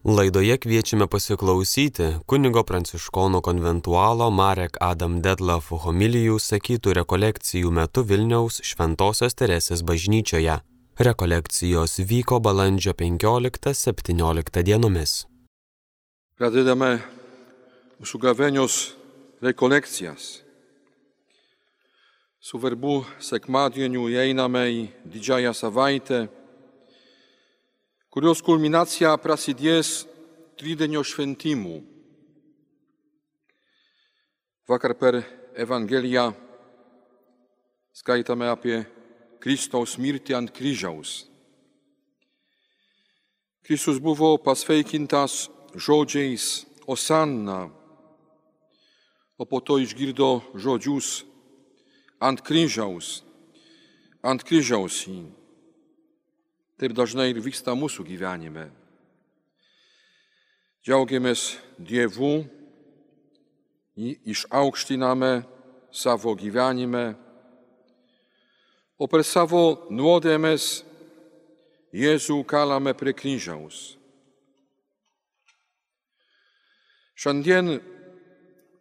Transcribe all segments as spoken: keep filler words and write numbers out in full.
Laidoje kviečiame pasiklausyti kunigo pranciškono konventualo Marek Adam Detlef homilijų sakytų rekolekcijų metu Vilniaus Šventosios Teresės bažnyčioje. Rekolekcijos vyko balandžio penkioliktą septynioliktą dienomis. Pradedame mūsų gavėnios rekolekcijas. Su verbų sekmadieniu įeiname į didžiąją savaitę, kurios kulminacija prasidės tridienio šventimu. Vakar per Evangeliją skaitame apie Kristaus mirtį ant kryžiaus. Kristus buvo pasveikintas žodžiais Osanna, o po to išgirdo žodžius ant kryžiaus, ant kryžiaus jį. Taip dažnai ir vyksta mūsų gyvenime. Džiaugiamės Dievu, jį išaukštiname savo gyvenime, o per savo nuodėmes Jėzų kalame prie kryžiaus. Šiandien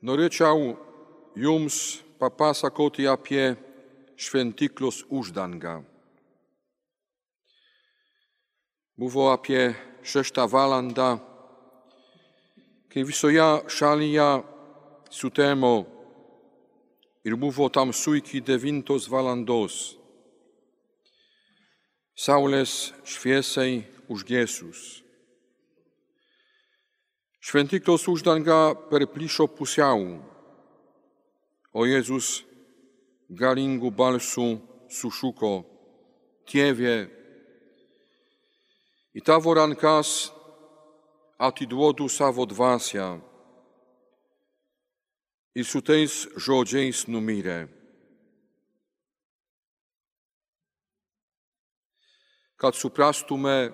norėčiau jums papasakoti apie šventyklos uždangą. Buvo apie šeštą valandą, kai visoje šalyje sutemo ir buvo tamsu iki devintos valandos. Saulės šviesai užgesus. Šventyklos uždanga perplyšo pusiau, o Jėzus galingų balsų sušuko: Tėve, į tavo rankas atiduodu savo dvasią. Ir su tais žodžiais numirė. Kad suprastume,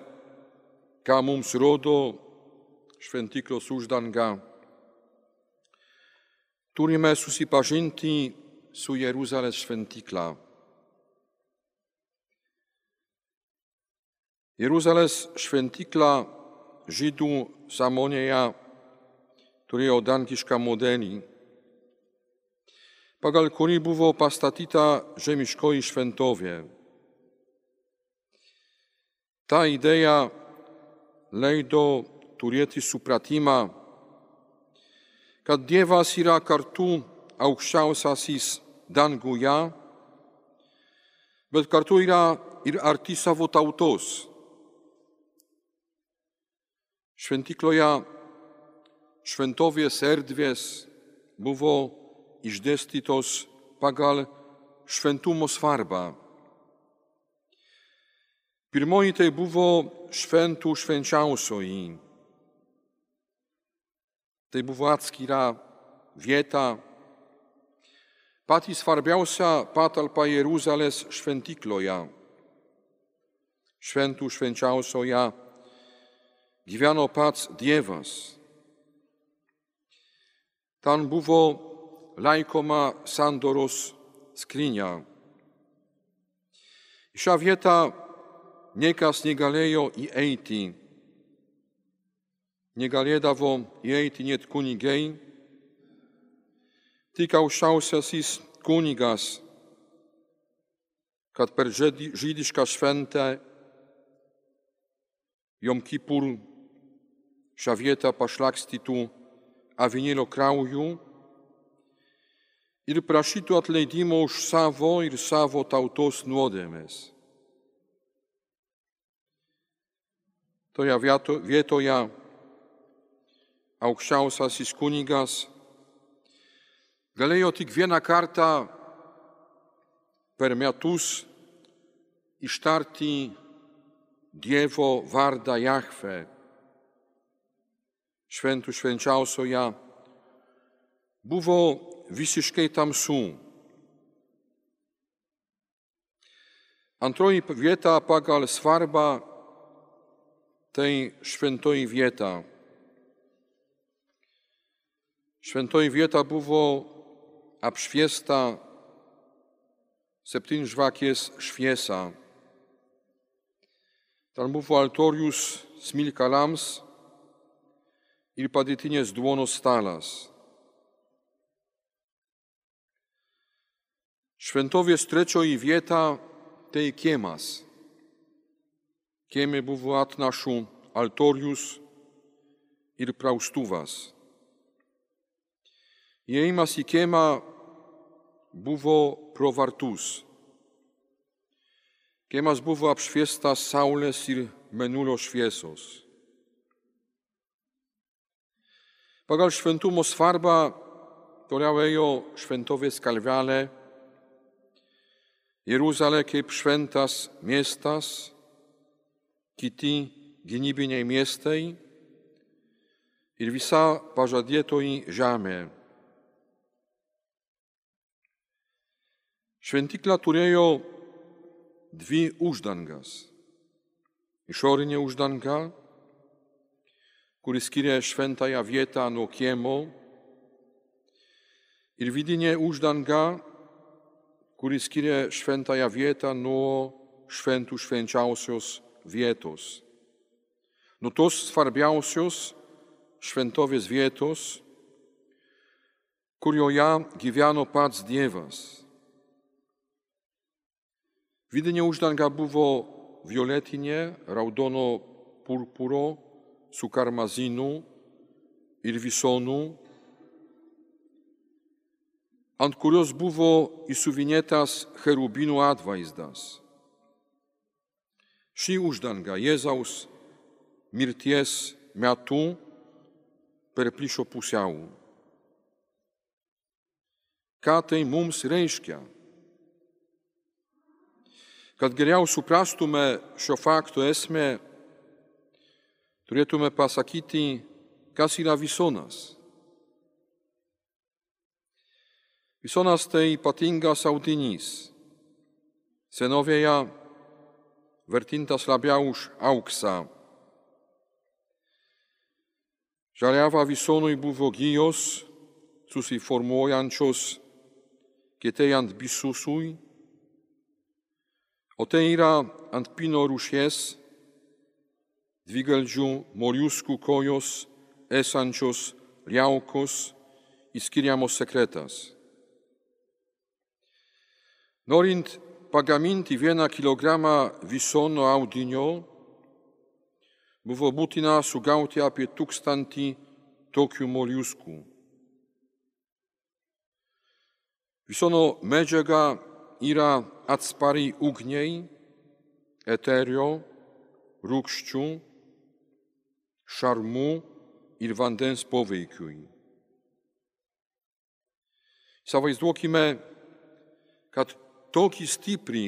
ką mums rodo šventyklos uždanga, turime susipažinti su Jeruzalės šventykla. Jeruzalės šventykla žydų sąmonėje turėjo dangišką modelį, pagal kurį buvo pastatyta žemiškoji šventovė. Ta idėja leido turėti supratimą, kad Dievas yra kartu aukščiausiasis danguje, bet kartu yra ir arti savo tautos. Šventykloje šventovės erdvės buvo išdėstytos pagal šventumo svarbą. Pirmoji tai buvo šventų švenčiausioji. Tai buvo atskira vieta, pati svarbiausia patalpa Jeruzalės šventykloje. Šventų švenčiausioje gyveno pats Dievas. Ten buvo laikoma sandoros skrynia. Į šią vietą niekas negalėjo įeiti. Negalėdavo įeiti net kunigai, tik aukščiausiasis kunigas, kad per žydišką šventę Jom Kipur šią vietą pašlakstytų avinėlio krauju ir prašytų atleidimo už savo ir savo tautos nuodėmes. Toje vietoje aukščiausiasis kunigas galėjo tik vieną kartą per metus ištarti Dievo vardą Jahve. Šventų švenčiausioje buvo visiškai tamsu. Antroji vieta pagal svarbą tai šventoji vieta. Šventoji vieta buvo apšviesta septynžvakės šviesa. Tam buvo altorius smilkalams, ir padėtinės duonos stalas. Šventovės trečioji vieta tai kiemas. Kieme buvo atnašų altorius ir praustuvas. Įėjimas į kiemą buvo pro vartus. Kiemas buvo apšviestas saulės ir mėnulio šviesos. Pagal šventumo svarbą toliau ėjo šventovės kalvelė, Jeruzalė kaip šventas miestas, kiti gynybiniai miestai ir visa pažadėtoji žemė. Šventykla turėjo dvi uždangas. Išorinė uždanga, kuri skiria šventąją vietą nuo kiemo, ir vidinė uždanga, kuri skiria šventąją vietą nuo šventų švenčiausios vietos. Nuo tos svarbiausios šventovės vietos, kurioje gyveno pats Dievas. Vidinė uždanga buvo violetinė, raudono purpuro su karmazinu ir visonu, ant kurios buvo įsuvinėtas cherubinų atvaizdas. Ši uždanga Jėzaus mirties metu perplyšo pusiau. Ką tai mums reiškia? Kad geriau suprastume šio fakto esmę, turėtume pasakyti, kas yra visonas. Visonas tai ypatingas audinys. Senovėje vertintas labiau už auksą. Žaliava visonui buvo gijos, susiformuojančios kietėjant bisusui, o tai yra ant pino rūšies, dvigalžių moliuskų kojos, esančios liaukos, įskiriamos sekretas. Norint pagaminti vieną kilogramą visono audinio, buvo būtina sugauti apie tūkstantį tokių moliuskų. Visono medžiaga yra atspari ugniai, eterio, rūgščių, šarmų ir vandens poveikiui. Įsivaizduokime, kad tokį stiprį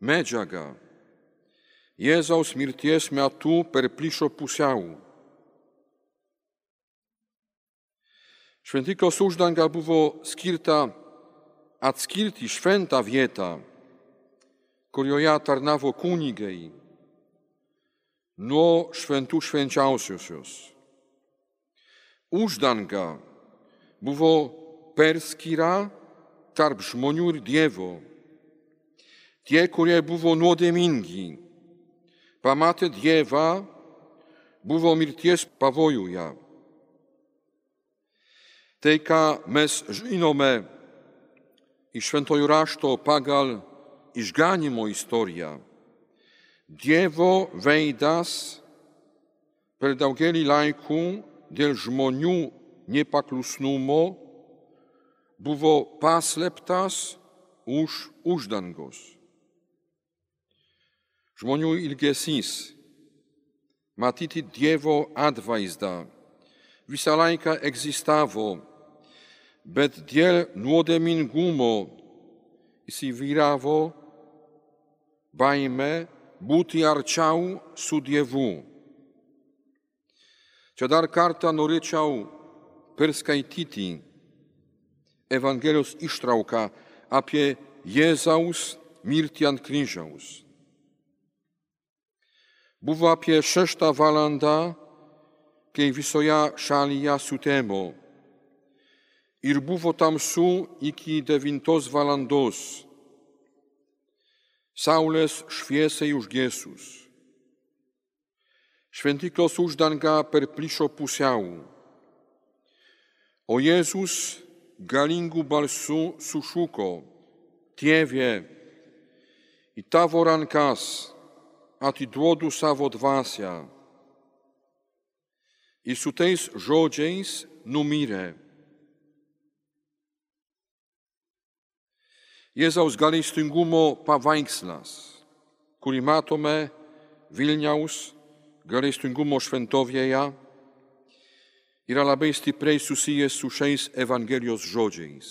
medžiagą Jėzaus mirties metu perplyšo pusiau. Šventyklos uždanga buvo skirta atskirti šventą vietą, kurioje tarnavo kunigai, nuo šventų švenčiausiosios. Uždanga buvo perskyra tarp žmonių ir Dievo. Tie, kurie buvo nuodėmingi, pamatę Dievą, buvo mirties pavojuje. Tai, ką mes žinome iš šventojo rašto pagal išganymo istoriją, Dievo veidas per daugelį laikų dėl žmonių nepaklusnumo buvo paslėptas už uždangos. Žmonių ilgesys matyti Dievo atvaizdą visą laiką egzistavo, bet dėl nuodėmingumo įsivyravo baimė būti arčiau su Dievu. Čia dar kartą norėčiau perskaityti Evangelijos ištrauką apie Jėzaus mirtį ant kryžiaus. Buvo apie šeštą valandą, kai visoje šalyje sutemo, ir buvo tamsu iki devintos valandos, saulės šviesai užgesus. šventyklos uždanga per plyšo pusiau. O Jėzus galingų balsų sušuko: Tėve, į tavo rankas atiduodu savo dvasią. Ir su tais žodžiais numirė. Jėzaus gailestingumo paveikslas, kurį matome Vilniaus gailestingumo šventovėje, yra labai stipriai susijęs su šiais Evangelijos žodžiais.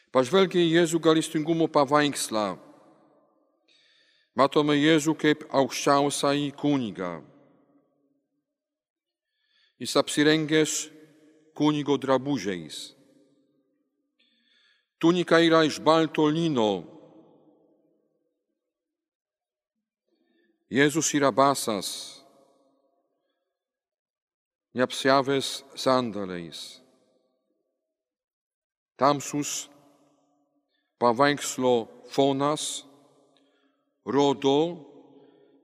Pažvelgę į Jėzų gailestingumo paveikslą, matome Jėzų kaip aukščiausiąjį kunigą. Jis apsirengęs kunigo drabužiais. Tunika yra iš balto lino. Jėzus yra basas, neapsiavęs sandaliais. Tamsus paveikslo fonas rodo,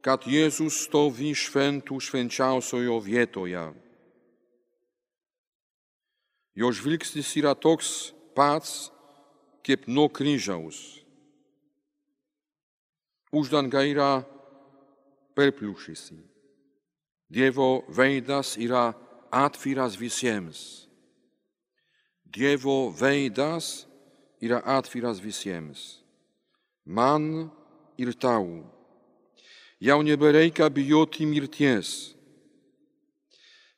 kad Jėzus stovi šventų švenčiausiojo vietoje. Jo žvilgsnis yra toks pats, kaip nuo kryžiaus. Uždanga yra perplyšusi. Dievo veidas yra atviras visiems. Dievo veidas yra atviras visiems. Man ir tau. Jau nebereikia bijoti mirties.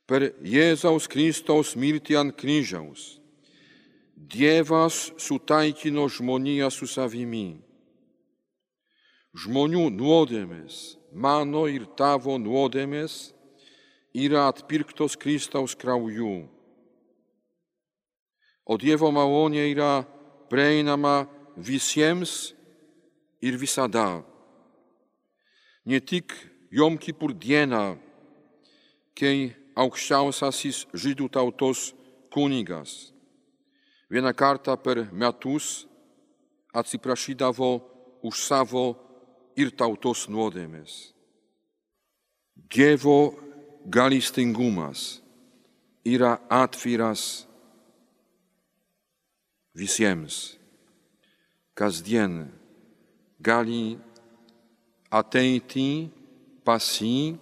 Per Jėzaus Kristaus mirtį ant kryžiaus Dievas sutaikino žmoniją su savimi. Žmonių nuodėmės, mano ir tavo nuodėmės, yra atpirktos Kristaus krauju. O Dievo malonė yra prieinama visiems ir visada. Ne tik Jom Kipur dieną, kai aukščiausiasis žydų tautos kunigas vieną kartą per metus atsiprašydavo už savo ir tautos nuodėmės. Dievo gailestingumas yra atviras visiems. Kasdien gali ateiti pas jį,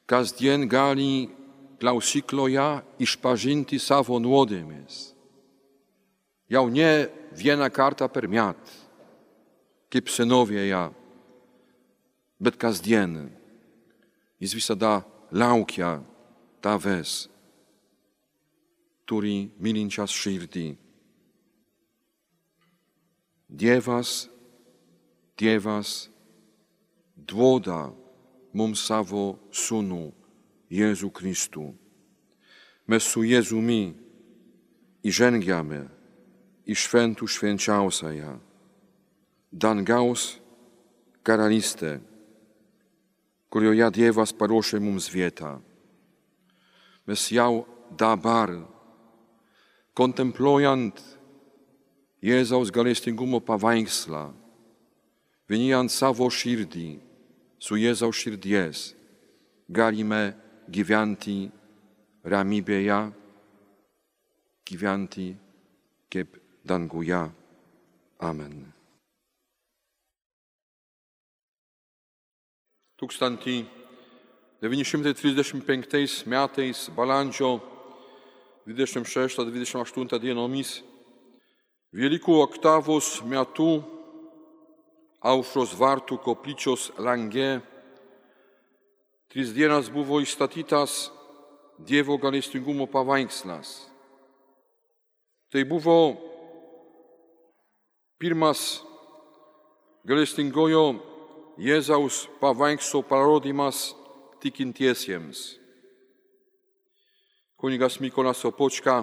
kasdien gali klausykloje išpažinti savo nuodėmės. Jau ne vieną kartą per metą, kaip senovėje, bet kasdien. Jis visada laukia tavęs, turi mylinčias širdį. Dievas, Dievas duoda mums savo sūnų, Jėzų Kristų. Mes su Jėzumi įžengiame į šventų švenčiausiąją, dangaus karalystę, kurioje Dievas paruošė mums vietą. Mes jau dabar, kontempluojant Jėzaus gailestingumo paveikslą, vienijant savo širdį su Jėzaus širdies, galime gyventi ramybėje, gyventi kaip danguje. Amen. tūkstantis devyni šimtai trisdešimt penktais metais balandžio dvidešimt šeštą dvidešimt aštuntą dienomis Velykų oktavos metu Aušros vartų koplyčios lange tris dienas buvo įstatytas Dievo gailestingumo paveikslas. Tai buvo pirmas gailestingojo Jėzaus paveikslo parodymas tikintiesiems. Kunigas Mykolas Sopočka,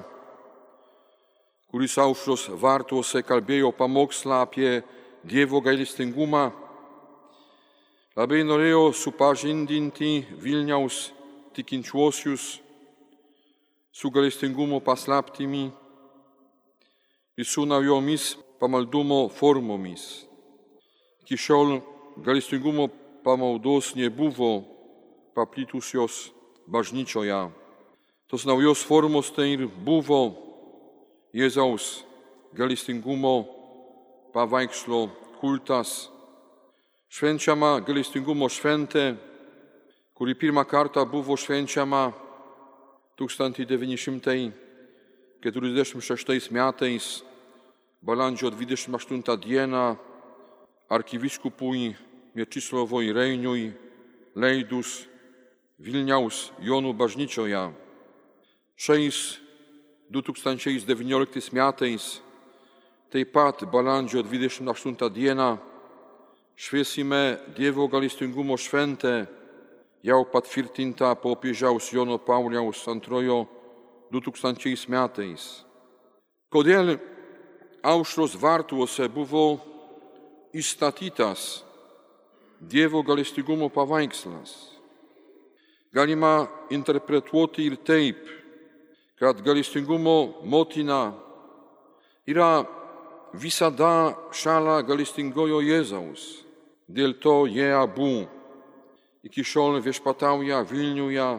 kuris Aušros vartuose kalbėjo pamokslą apie Dievo gailestingumą, labai norėjo supažindinti Vilniaus tikinčiuosius su gailestingumo paslaptimi ir su naujomis pamaldumo formomis. Iki šiol gailestingumo pamaldos nebuvo paplitusios bažnyčioje. Tos naujos formos tai ir buvo Jėzaus gailestingumo paveikslo kultas, švenčiama gailestingumo šventė, kuri pirmą kartą buvo švenčiama tūkstantis devyni šimtai keturiasdešimt šeštais metais, balandžio dvidešimt aštuntą dieną, arkivyskupui Mieczysławui Reiniui leidus Vilniaus Jonų bažnyčioje. Šiais du tūkstančiai devynioliktais metais, taip pat balandžio dvidešimt aštuntą dieną, švęsime Dievo gailestingumo šventę, jau patvirtinta popiežiaus Jono Pauliaus antrojo du tūkstančiais metais. Kodėl Aušros vartuose buvo įstatytas Dievo gailestingumo paveikslas? Galima interpretuoti ir taip, kad gailestingumo motina yra visada šalia gailestingojo Jėzaus. Dėl to jie abu iki šiol viešpatauja Vilniuje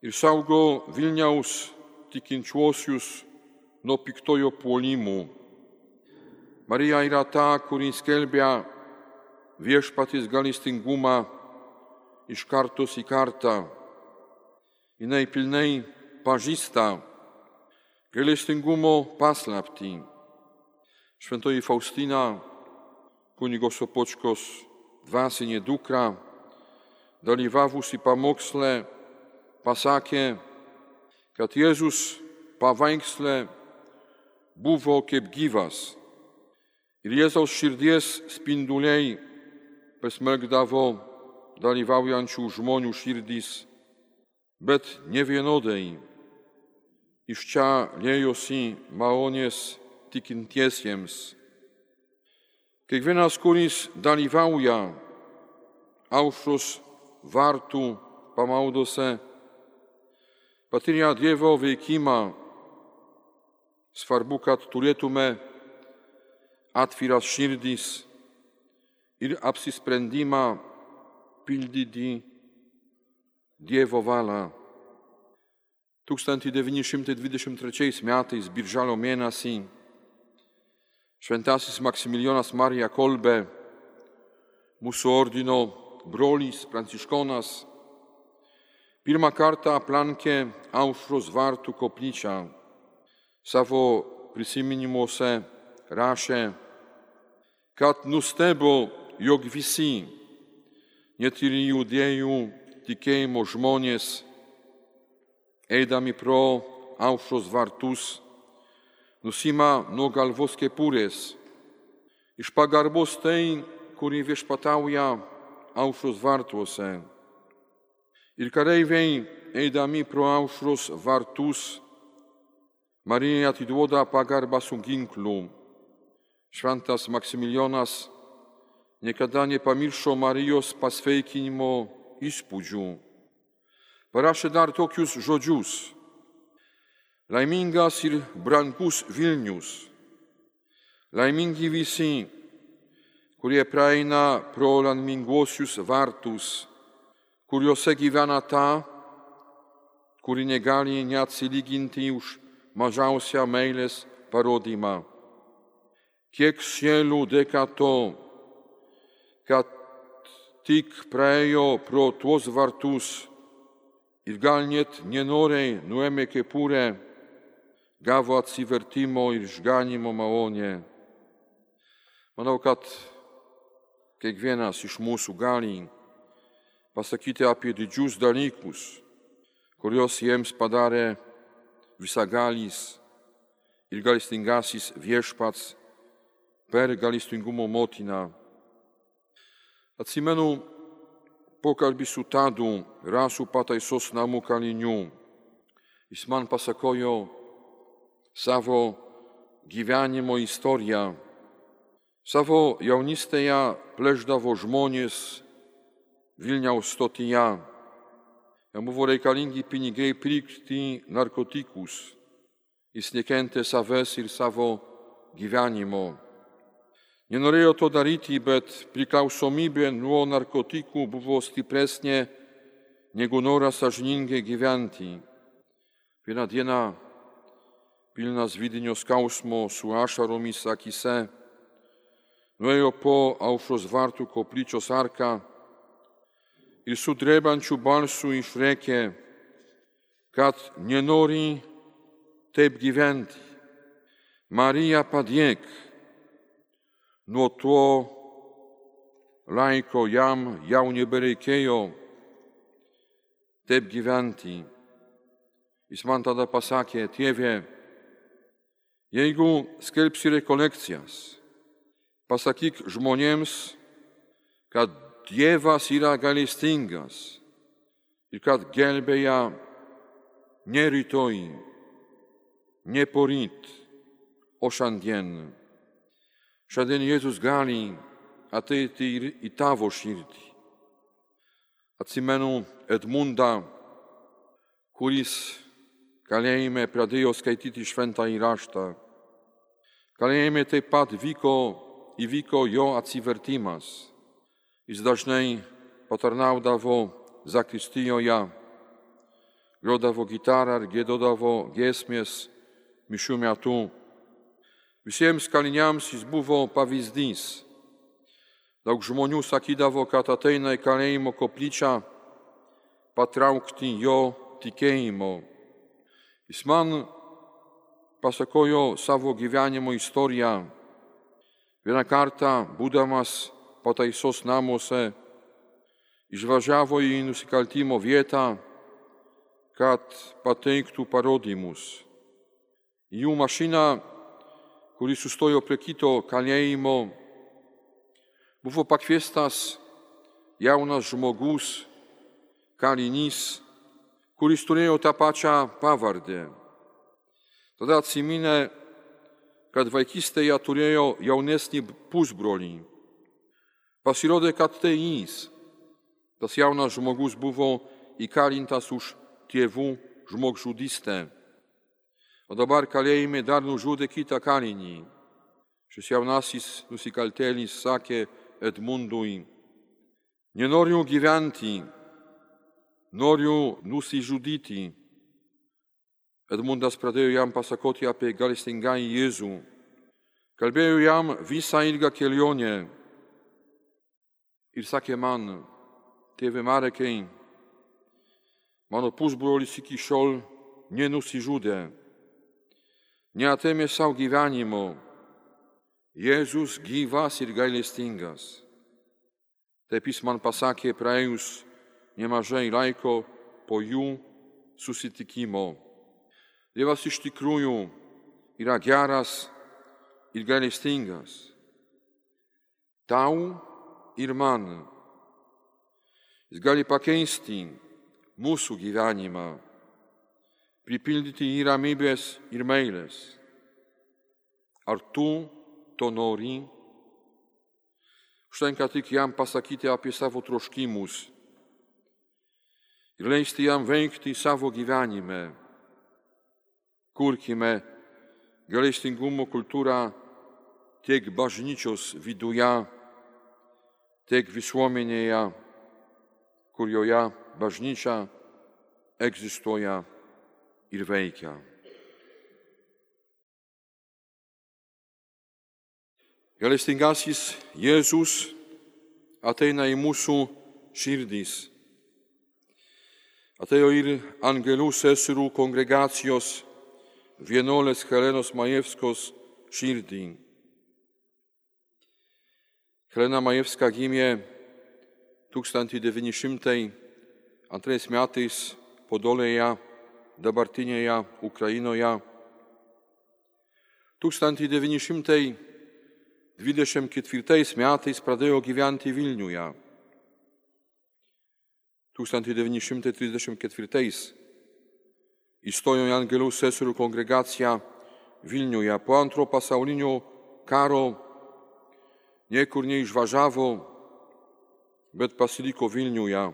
ir saugo Vilniaus tikinčiuosius nuo piktojo puolimų. Marija yra ta, kuri skelbia viešpaties gailestingumą iš kartos į kartą. Jinai pilnai pažįsta gailestingumo paslaptį. Šventoji Faustina, kunigo Sopočkos dvasinė dukra, dalyvavusi pamoksle, pasakė, kad Jėzus paveiksle buvo kaip gyvas ir Jėzaus širdies spinduliai pasmerkdavo dalyvaujančių žmonių širdis, bet nevienodai. Iš čia liejosi malonės tikintiesiems. Kiekvienas, kuris dalyvauja Aušros vartų pamaldose, patiria Dievo veikimą. Svarbu, kad turėtume atviras širdis ir apsisprendimą pildyti Dievo valią. tūkstantis devyni šimtai dvidešimt trečiais metais birželio mėnesį šventasis Maksimilijonas Marija Kolbe, mūsų ordino brolis pranciškonas, pirmą kartą aplankė Aušros vartų koplyčią. Savo prisiminimuose rašė, kad nustebo, jog visi, net ir judėjų tikėjimo žmonės, eidami pro Aušros vartus, nusima nuo galvos kepurės, iš pagarbos tai, kuri viešpatauja Aušros vartuose. Ir kareiviai, eidami pro Aušros vartus, Marijai atiduoda pagarbą su ginklu. Šventas Maksimilijonas niekada nepamiršo Marijos pasveikinimo įspūdžių. Parašė dar tokius žodžius: laimingas ir brangus Vilnius, laimingi visi, kurie praeina pro laiminguosius vartus, kuriuose gyvena ta, kuri negali neatsilyginti už mažiausią meilės parodymą. Kiek sielų dėka to, kad tik praėjo pro tuos vartus ir gal net nenoriai nuėmė kepurę, gavo atsivertimo ir išganimo malonę. Manau, kad kiekvienas iš mūsų gali pasakyti apie didžius dalykus, kuriuos jiems padarė visagalis ir gailestingasis viešpats per gailestingumo motiną. Atsimenu pokalbį su Tadu, rasų pataisos namų kaliniu. Jis man pasakojo savo gyvenimo istoriją. Savo jaunystėje plėšdavo žmonės Vilniaus stotyje. Jam buvo reikalingi pinigai pirkti narkotikus. Jis nekentė savęs ir savo gyvenimo. Nenorėjo to daryti, bet priklausomybė nuo narkotikų buvo stipresnė negu noras sąžiningai gyventi. Vieną dieną, pilnas vidinio skausmo su ašaromis akyse, nuėjo po Aušros vartų koplyčios arką ir su drebančiu balsu išrėkė, kad nenori taip gyventi. Marija, padėk. Nuo to laiko jam jau nebereikėjo taip gyventi. Jis man tada pasakė, tėve, jeigu skelbsi rekolekcijas, pasakyk žmonėms, kad Dievas yra gailestingas ir kad gelbėja ne rytoj, ne poryt, o šiandien. Šiandien Jėzus gali ateiti ir į tavo širdį. Atsimenu Edmundą, kuris kalėjime pradėjo skaityti šventąjį raštą. Kalėjime taip pat vyko, įvyko jo atsivertimas. Jis dažnai patarnaudavo zakristijoje, grodavo gitarą ir giedodavo giesmės mišių metu. Visiems kaliniams jis buvo pavyzdys. Daug žmonių sakydavo, kad ateina į kalėjimo koplyčią patraukti jo tikėjimo. Jis man pasakojo savo gyvenimo istoriją. Vieną kartą, būdamas pataisos namuose, išvažiavo į nusikaltimo vietą, kad pateiktų parodymus. Į jų mašiną, kuris sustojo prie kito kalėjimo, buvo pakviestas jaunas žmogus, kalinys, kuris turėjo tą pačią pavardę. Tada atsiminė, kad vaikystėje turėjo jaunesnį pusbrolį. Pasirodė, kad tai jis. Tas jaunas žmogus buvo įkalintas už tėvų žmogžudystę. O dabar kalėjime dar nužudė kitą kalinį. Šis jaunasis nusikaltėlis sakė Edmundui, nenoriu gyventi, noriu nusižudyti. Edmundas pradėjo jam pasakoti apie gailestingąjį Jėzų. Kalbėjo jam visą ilgą kelionę ir sakė man, tėve Marekai, mano pusbrolis iki šiol nenusižudė, neatėmė savo gyvenimo. Jėzus gyvas ir gailestingas. Taip jis man pasakė praėjus nemažai laiko po jų susitikimo. Dievas iš tikrųjų yra geras ir gailestingas. Tau ir man. Jis gali pakeisti mūsų gyvenimą, pripildyti jį ramybės ir meilės. Ar tu to nori? Užtenka tik jam pasakyti apie savo troškimus ir leisti jam veikti savo gyvenime. Kurkime gailestingumo kultūrą tiek bažnyčios viduje, tiek visuomenėje, kurioje bažnyčia egzistuoja ir veikia. Gailestingasis Jėzus ateina į mūsų širdis. Atėjo ir angelų seserų kongregacijos vienuolės Helenos Majewskos širdį. Helena Majewska gimė tūkstantis devyni šimtai antrais metais Podolėje, dabartinėje Ukrainoje. tūkstantis devyni šimtai dvidešimt ketvirtais metais pradėjo gyventi Vilniuje. tūkstantis devyni šimtai trisdešimt ketvirtais įstojo į angelų seserų kongregaciją Vilniuje. Po antro pasaulinio karo niekur neišvažiavo, bet pasiliko Vilniuje.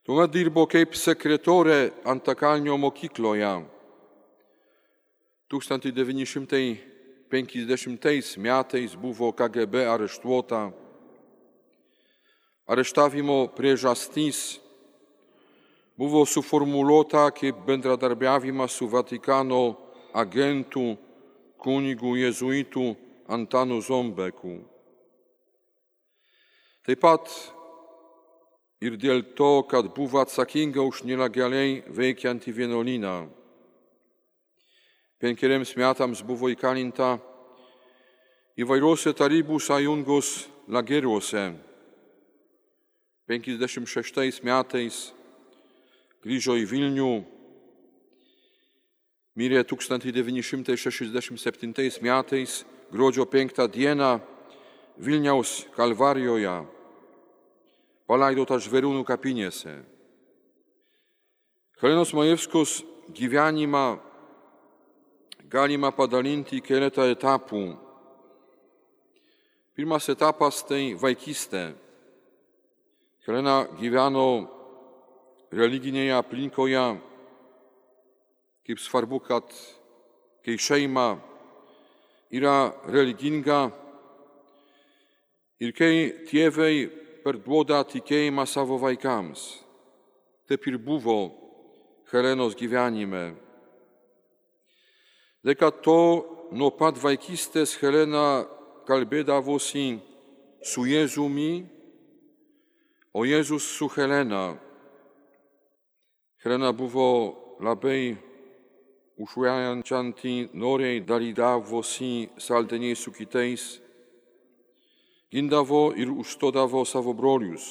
Tuomet dirbo kaip sekretorė Antakalnio mokykloje. tūkstantis devyni šimtai penkiasdešimtais metais buvo K G B areštuota. Areštavimo priežastis buvo suformuluota kaip bendradarbiavimas su Vatikano agentų kunigu jėzuitų Antanu Zombeku. Taip pat ir dėl to, kad buvo atsakinga už nelegaliai veikiantį vienuolyną. Penkeriems metams buvo įkalinta įvairiuose Tarybų sąjungos lageriuose. penkiasdešimt šeštais metais grįžo į Vilnių, mirė tūkstantis devyni šimtai šešiasdešimt septintais metais gruodžio penktą dieną Vilniaus Kalvarijoje, palaidota Žvėrūnų kapinėse. Helenos Majewskos gyvenimą galima padalinti į keletą etapų. Pirmas etapas tai vaikystė. Helena gyveno religinėje aplinkoje, kaip svarbu, kad kai šeima yra religinga ir kai tėvai perduoda tikėjimą savo vaikams. Taip ir buvo Helenos gyvenime. Dėka to nuo pat vaikystės Helena kalbėdavosi su Jėzumi, o Jėzus su Helena. Helena buvo labai užuojančianti, noriai dalydavosi saldiniais su kitais, gindavo ir užstodavo savo brolius.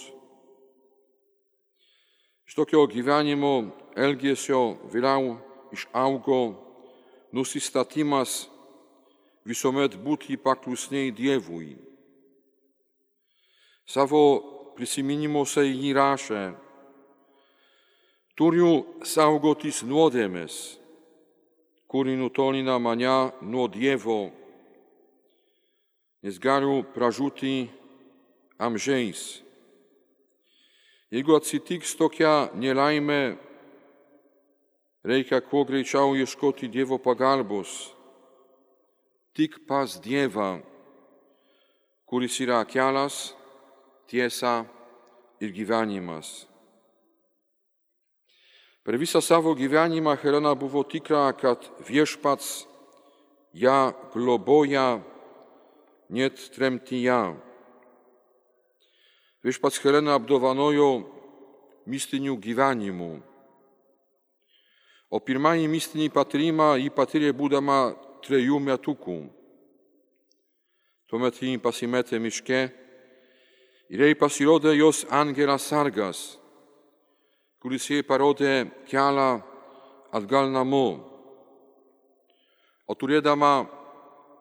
Iš tokio gyvenimo elgesio vėliau išaugo nusistatymas visuomet būti paklusniai Dievui. Savo prisiminimuose jį rašė: turiu saugotis nuodėmės, kuri nutolina mane nuo Dievo, nes galiu pražūti amžiais. Jeigu atsitiks tokia nelaimė, reikia kuo greičiau ieškoti Dievo pagalbos, tik pas Dievą, kuris yra kelias, tiesa ir gyvenimas. Per visą savo gyvenimą Helena buvo tikra, kad Viešpats ją globoja net tremtyje. Viešpats Heleną apdovanojo mistiniu gyvenimu. O pirmąjį mistinį patyrimą ji patyrė būdama trejų metukų. Tuomet ji pasimetė miške ir jai pasirodė jos angelas sargas, kuris jai parodė kelią atgal namo. O turėdama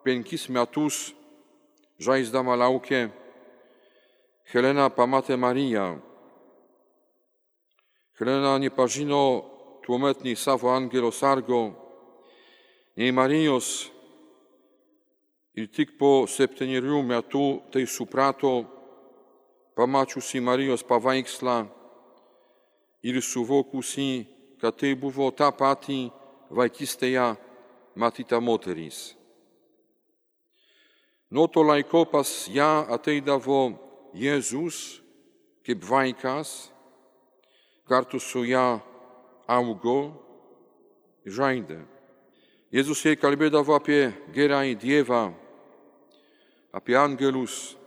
penkis metus, žaisdama laukė, Helena pamatė Mariją. Helena nepažino tuomet nei savo angelo sargo, nei Marijos, ir tik po septynerių metų tai suprato, pamačiusi Marijos paveikslą ir suvokusi, kad tai buvo ta pati vaikystėje matyta moteris. Nuo to laiko pas ją ateidavo Jėzus kaip vaikas, kartu su ją augo ir žaidė. Jėzus jai kalbėdavo apie gerąjį Dievą, apie angelus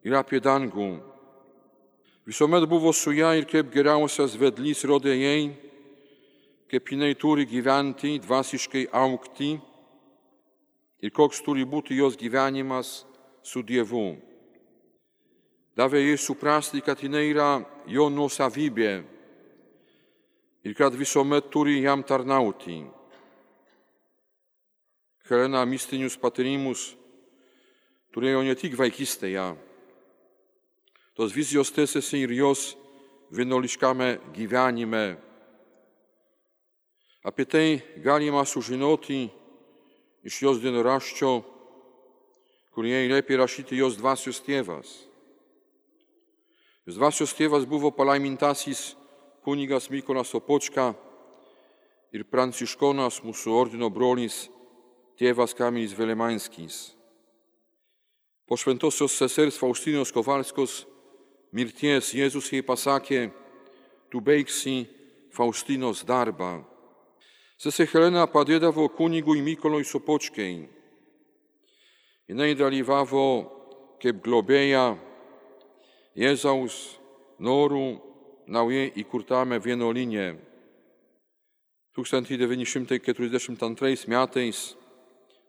ir apie dangų. Visuomet buvo su ją ir kaip geriausias vedlys rodė jai, kaip jinai turi gyventi, dvasiškai augti ir koks turi būti jos gyvenimas su Dievu. Davė jai suprasti, kad jinai yra jo nuosavybė ir kad visuomet turi jam tarnauti. Helena mistinius patyrimus turėjo ne tik vaikystėje. Tos vizijos tęsiasi ir jos vienuoliškame gyvenime. Apie tai galima sužinoti iš jos dienoraščio, kurį jai liepė rašyti jos dvasios tėvas. Jos dvasios tėvas buvo palaimintasis kunigas Mykolas Sopočka ir pranciškonas mūsų ordino brolis tėvas Kamilis Velemańskis. Po šventosios sesers Faustinos Kowalskos mirties Jėzus jai pasakė: tu baigsi Faustinos darbą. Sesė Helena padėdavo kunigui Mykolui Sopočkai. Jinai dalyvavo kaip globėja Jėzaus norų naujai įkurtame vienuolyne. tūkstantis devyni šimtai keturiasdešimt antrais metais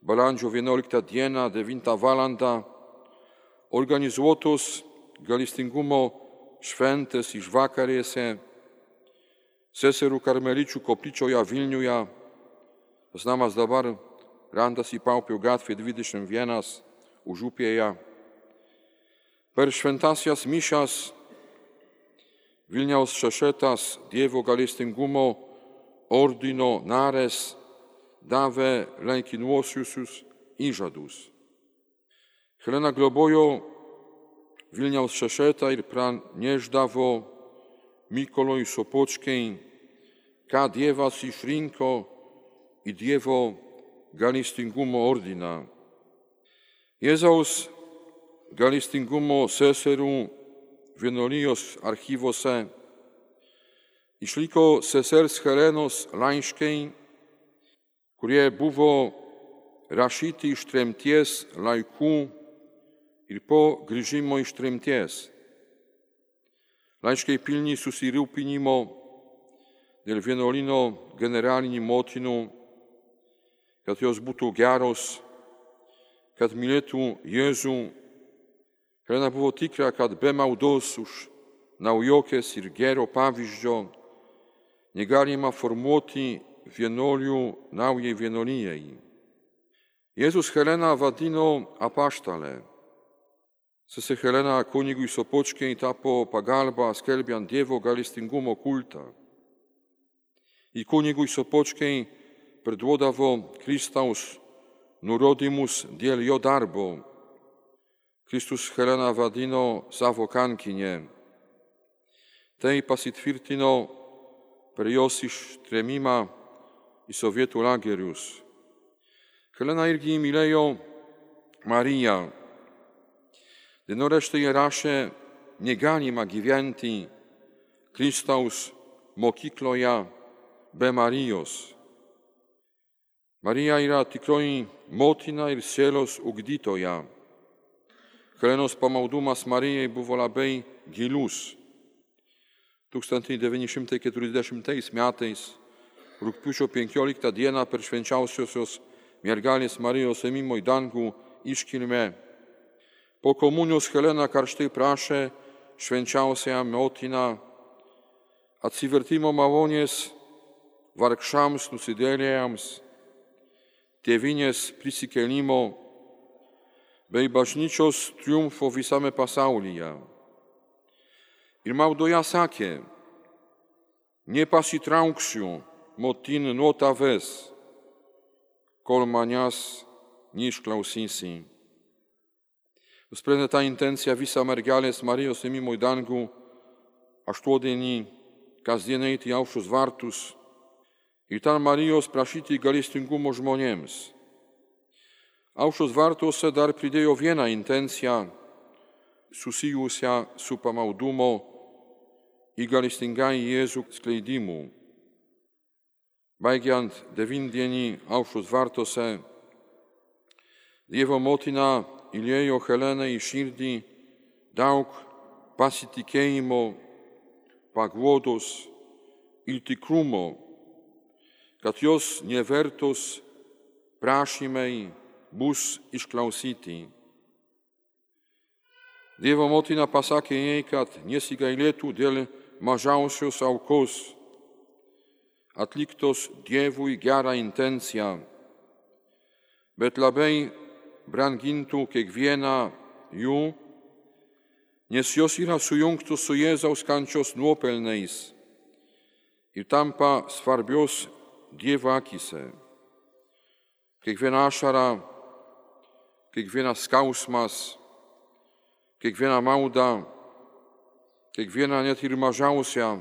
balandžio vienuoliktą dieną devintą valandą organizuotos gailestingumo šventės išvakarėse seserų karmeličių koplyčioje Vilniuje. Tas namas dabar randasi Paupio gatvė dvidešimt vienas Užupėje. Per šventasias mišias Vilniaus šešetas Dievo gailestingumo ordino narės davė laikinuosius įžadus. Helena globojo Vilniaus šešetą ir pranešdavo Mykolui Sopočkai, ką Dievas išrinko į Dievo gailestingumo ordiną. Jėzaus gailestingumo seserų vienuolijos archyvuose išliko sesers Helenos laiškai, kurie buvo rašyti iš tremties laikų ir po grįžimo iš tremties. Laiškai pilni susirūpinimo dėl vienuolyno generalinių motinų, kad jos būtų geros, kad mylėtų Jėzų. Helena buvo tikra, kad be maldos už naujokės ir gero pavyzdžio negalima formuoti vienuolių naujai vienuolijai. Jėzus Heleną vadino apaštalė. Sesė Helena kunigui Sopočkai tapo pagalba skelbiant Dievo gailestingumo kultą. I kunigui Sopočkai perduodavo Kristaus nurodymus dėl jo darbo. Kristus Heleną vadino savo kankinė. Tai pasitvirtino per jos ištrėmimą į sovietų lagerius. Helena irgi mylėjo Mariją. Dienoraštyje rašė: negalima gyventi Kristaus mokykloje be Marijos. Marija yra tikroji motina ir sielos ugdytoja. Helenos pamaldumas Marijai buvo labai gilus. tūkstantis devyni šimtai keturiasdešimtais metais rugpjūčio penkioliktą dieną per švenčiausiosios mergelės Marijos ėmimo į dangų iškilmę po komunijos Helena karštai prašė švenčiausiąją motiną atsivertimo malonės vargšams nusidėjėliams, tėvynės prisikėlimo bei bažnyčios triumfo visame pasaulyje. Ir maldoje sakė: nepasitrauksiu, motin, nuo tavęs, kol manęs neišklausysi. Nusprendė tą intenciją visą mergelės Marijos ėmimo į dangų aštuondienį kasdien eiti į Aušros vartus ir ten Marijos prašyti gailestingumo žmonėms. Aušros vartuose dar pridėjo vieną intenciją susijusią su pamaldumo į gailestingąjį Jėzų skleidimu. Baigiant devyndienį Aušros vartuose, Dievo motina įliejo Helenai į širdį daug pasitikėjimo, paguodos ir tikrumo, kad jos nevertos prašymai bus išklausyti. Dievo motina pasakė jai, kad nesigailėtų dėl mažiausios aukos, atliktos Dievui gerą intenciją, bet labai brangintų kiekvieną jų, nes jos yra sujungtos su Jėzaus kančios nuopelnais ir tampa svarbios Dievo akyse. Kiekviena ašara, kiekvienas skausmas, kiekviena malda, kiekviena net ir mažiausia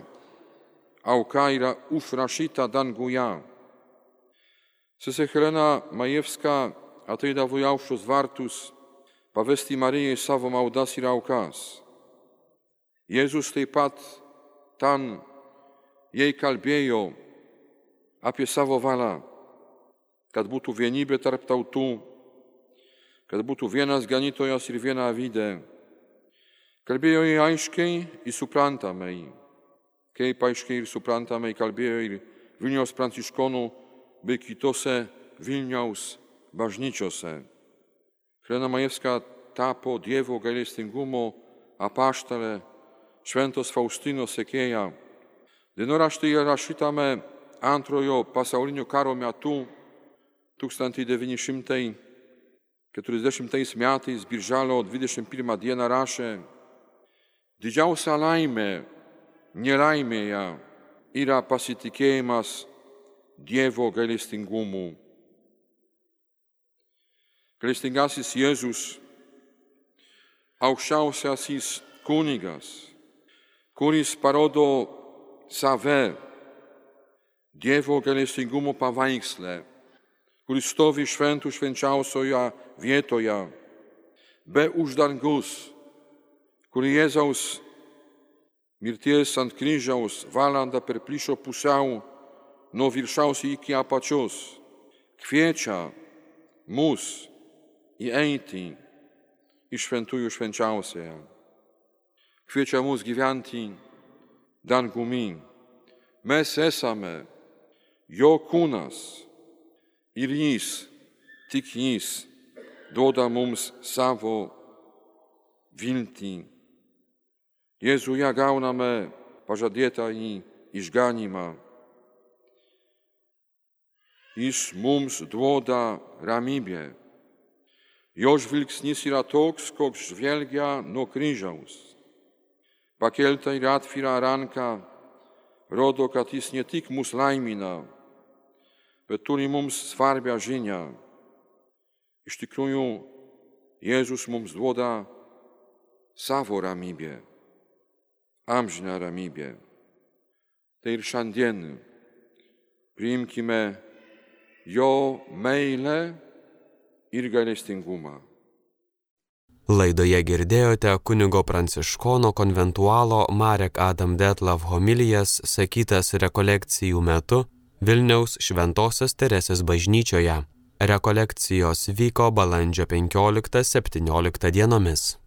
auka yra užrašyta danguje. Sesė Helena Majewska ateidavo į Aušros vartus pavesti Marijai savo maldas ir aukas. Jėzus taip pat ten jai kalbėjo apie savo valią, kad būtų vienybė tarp tautų, kad būtų vienas ganytojas ir viena avydė. Kalbėjo jai aiškiai ir suprantamai, kaip aiškiai ir suprantamai kalbėjo ir Vilniaus pranciškonų bei kitose Vilniaus bažnyčiose. Helena Majewska tapo Dievo gailestingumo apaštalė, šventos Faustinos sekėja. Dienoraštyje rašytame antrojo pasaulinio karo metu tūkstantis devyni šimtai keturiasdešimtais metais birželio dvidešimt pirmą dieną rašė: didžiausia laimė nelaimėje yra pasitikėjimas Dievo gailestingumu. Gailestingasis Jėzus, aukščiausiasis kunigas, kuris parodo save Dievo gailestingumo paveiksle, kuris stovi šventų švenčiausioje vietoje, be uždangus, kur Jėzaus mirties ant kryžiaus valandą perplyšo pusiau nuo viršaus iki apačios, kviečia mus įeiti į šventųjų švenčiausiąją. Kviečia mus gyventi dangumi. Mes esame jo kūnas ir jis, tik jis, duoda mums savo viltį. Jėzuje gauname pažadėtąjį išganymą. Jis mums duoda ramybę. Jo žvilgsnis yra toks, koks žvelgia nuo kryžiaus. Pakelta ir atvira ranka rodo, kad jis ne tik mus laimina, bet turi mums svarbią žinią. Iš tikrųjų, Jėzus mums duoda savo ramybę, amžiną ramybę. Tai ir šiandien priimkime jo meilę ir gailestingumą. Laidoje girdėjote kunigo pranciškono konventualo Marek Adam Detlav homilijas sakytas rekolekcijų metu Vilniaus Šventosios Teresės bažnyčioje. Rekolekcijos vyko balandžio penkioliktą septynioliktą dienomis.